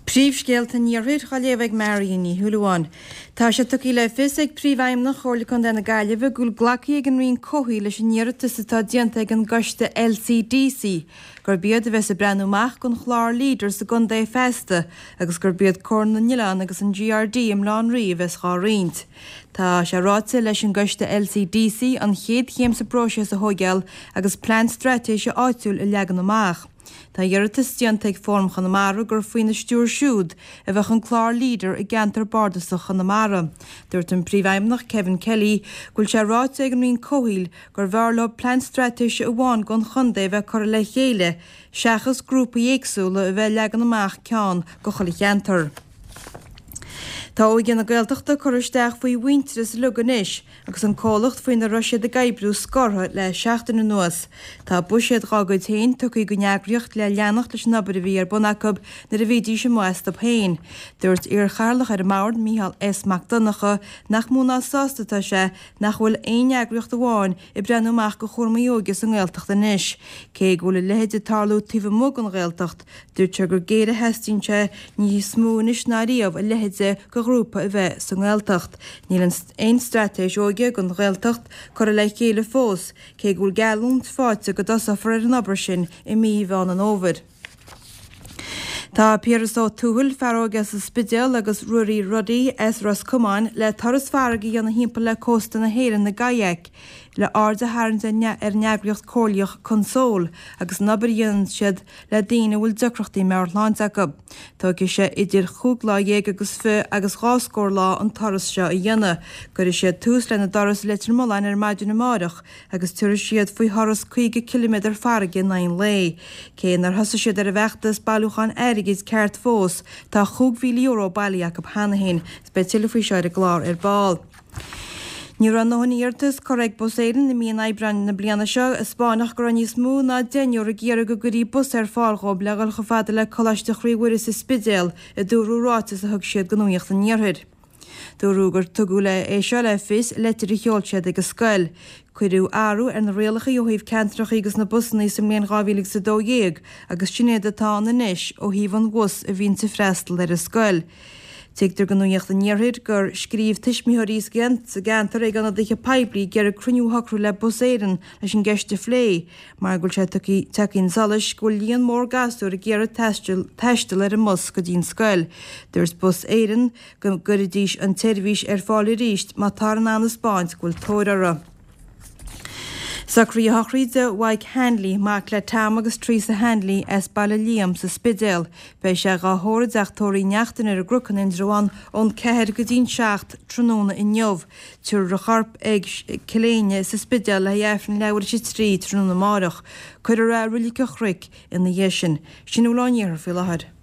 Príomhscéalta an Iarthair á léamh ag Marion Ní Shúilleabháin. Tá sé tugtha le fios ag Príomhfheidhmeannach Chomhairle Contae na Gaillimhe go bhfuil glactha ag an Roinn Comhshaoil leis an iarratas atá déanta ag an gcoiste LCDC gurb iad a bheas ag breathnú amach don chlár Leader sa gcontae feasta agus gurb iad Comhar na nOileán agus an GRD i mBaile Átha an Rí a bheas dhá roinnt. Tá sé ráite leis an gcoiste LCDC an chéad chéim sa bpróiseas a thóigeáil agus plean straitéise áitiúil a leagan amach. Tá iarratas déanta ag Fóram Chonamara gur faoina stiúir siúd a bheadh an clár Leader i gceantar bardasach Chonamara. Dúirt an Príomhfheidhmeannach Kevin Kelly go bhfuil sé ráite ag an Roinn Comhshaoil gurbh fhearr leo plean straitéise amháin don chontae a bheith curtha le chéile seachas grúpaí éagsúla a bheith ag leagan amach ceann do chuile cheantar. Tá Óige na Gaeltachta curtha isteach faoi Mhuintearas uilig anois agus an comhlacht faoina raibh siad ag oibriú scortha le seachtain anuas. Tá buiséad dhá gcuid féin tugtha don eagraíocht le leanacht leis an obair a bhí ar bun acu nuair a bhídís amuigh astu féin. Dúirt iar-chathaoirleach ar an mbord, Mícheál S. Mac Donncha, nach mó ná sásta atá sé nach bhfuil aon eagraíocht amháin ag breathnú amach do chúramaí óige sa nGaeltacht anois. Cé go bhfuil a leithéid ag tarlú taobh amuigh den Ghaeltacht, Dúirt sé gur géire a theastaíonn sé níos mó anois ná riamh a leithéid de ghrúpa a bheith sa nGaeltacht. Níl aon straitéis óige don Ghaeltacht curtha le chéile fós, cé go bhfuil geallúint faighte go dtosófar ar an obair sin i mí Mheán an Fhómhair. Tá Piaras Ó Tuathail, fear óg as an Spidéal, agus Ruairí Ruddy as Ros Comáin le turas farraige a dhéanamh thimpeall le cósta na hÉireann i gkayak le aird a tharraingt ar an eagraíocht comhairleach Console agus an obair a dhéanann siad le daoine a bhfuil deacrachtaí meabhairshláinte acu. Tógfaidh sé idir chúig lá dhéag agus fi agus dhá scór lá an turas seo a dhéanamh. Cuirfidh siad tús lena dturas i Leitir Mealláin ar maidin amáireach agus tabharfaidh siad faoi thuras 50 ciliméadar farraige in aghaidh an lae. Cé nár thosaigh siad ar an bhfeachtas bailiúcháin airgid ceart fós, tá €5,000 bailithe acu cheana féin. Beidh tuilleadh faoi seo ar an gclár ar ball. Ní raibh a ndóthain iarratas curtha ag Bus Éireann i mí an Aibreáin na bliana seo a spáinfeadh go raibh níos mó ná deichniúr ag iarraidh go gcuirí bus ar fáil dhóibh le dhul chomh fada le Coláiste Chroí Mhuire sa Spidéal, a dúradh i ráiteas a thug siad do Nuacht an Iarthair. Dúradh gur tugadh le é seo le fios i leitir a sheol siad ag an scoil. Cuireadh athrú ar na rialacha ó thaobh ceantracha agus na busanna sa mbliain 2012 agus sin iad atá ann anois ó thaobh an bhus a bhíonns ag freastal ar an scoil. Tuigtear do Nuacht an Iarthair gur scríobh tuismitheoirí sa gceantar ag ionadaithe poiblí ag iarraidh cruinniú a shocrú le Bus Éireann leis an gceist a phlé mar go bhfuil sé tagtha chun solais go bhfuil líon mór gasúr ag iarraidh taisteal ar an mbus go dtí an scoil. Dúirt Bus Éireann go gcuirfidís an tseirbhís ar fáil arís má táthar in ann a 'spáint go bhfuil tóir orthu. Socruithe sochraide Mhaidhc Hanley, mac le Tom agus Teresa Hanley as Baile Liam sa Spidéal. Beidh sé dhá thórramh i dteach tórraimh Uí Neachtain ar an gCnoc in Indreabhán ón 4 go dtí'n 7 tráthnóna inniu. Tabharfar a chorp ag Cill Éinne sa Spidéal le haghaidh Aifreann leathuair tar éis a 3 tráthnóna amáireach. Cuirfear é i Reilig an Chnoic ina dhiaidh sin. Sin a bhfuil ón iarthar faoi láthair.